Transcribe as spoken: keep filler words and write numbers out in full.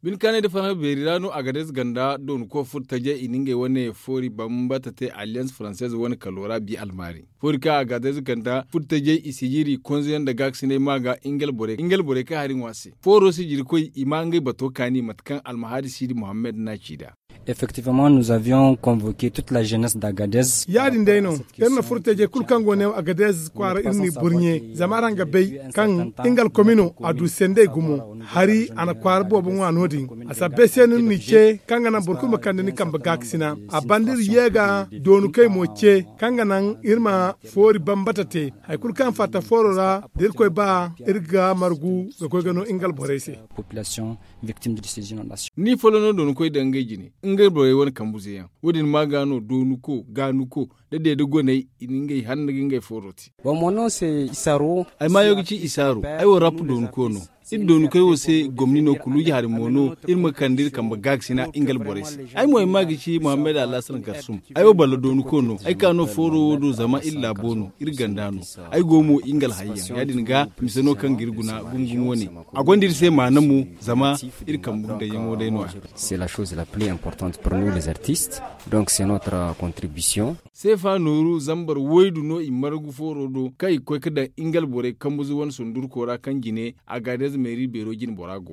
Bine kaanay nda farhã beeri ra no agadez ganda doonako furo tajey i na ngey wane foori bambata te alliyanz faranseez wane kalo ra bi almaari. Foori kaŋ agadez ganda furo tajey i sijiri konzoyaŋ nda gaakasinay ma ga ingel borey kaŋ hari ŋwa se fooro sijirikoy i ma ngey bato kaani mate kaŋ almahadi siidi muhammad na ci nd'a. Effectivement nous avions convoke toute la jeunesse d'Agadez. Ya- din day no. Iri na furo tajey kulu kaŋ go neewo agadez kwaara iri n'i burɲe zama araŋ ga bay kaŋ ingal komino a du sendey gumo. Hari a na kwaara boobo ŋwa no- din. A sabbay se no iri n'i ce kaŋ ga naŋ boro kulu ma kande ni kambe gaakasina. A banda iri ye ga doonukey mo ce kaŋ ga naŋ iri ma foori bambata te. Hari kulu kaŋ fatta fooro ra da irkoy ba iri ga margu ga koy ga no ingal borey se. Population victime de ces inondations. Ni folloŋ no doonukey daŋ ngey jine. Ngey borey wane kambuze yaŋ wo- din ma ga no doonuko gaanuko da deede goney i na ngey hanna ga ngey fooro te. Ay maayo ga ci isaaro. Ay wo rap doonako no. Iri doonakey wo se gomni no kuluuji hari mo no iri ma kande iri kambe gaakasina ingal borey se. Ay mo ay ma ga ci muhammad alhasan karsum. Ay wo balla doonako no ay ka no fooro wo do zama iri laabo no iri ganda no. Ay go mo ingal hayyaŋ ya- din ga mise no kaŋ ga iri guna gumo gumo wane. A gonda iri se maana mo zama iri kambe dayaŋo day no- ya. C'est la chose la plus importante pour nous les artistes. Donc c'est notre contribution. Seefa nooru zambar waydu no i margu fooro do kaŋ i ga koy ga daŋ ingal borey kambuze wane sundurko ra kaŋ jine agadez meeri beero jine bora go.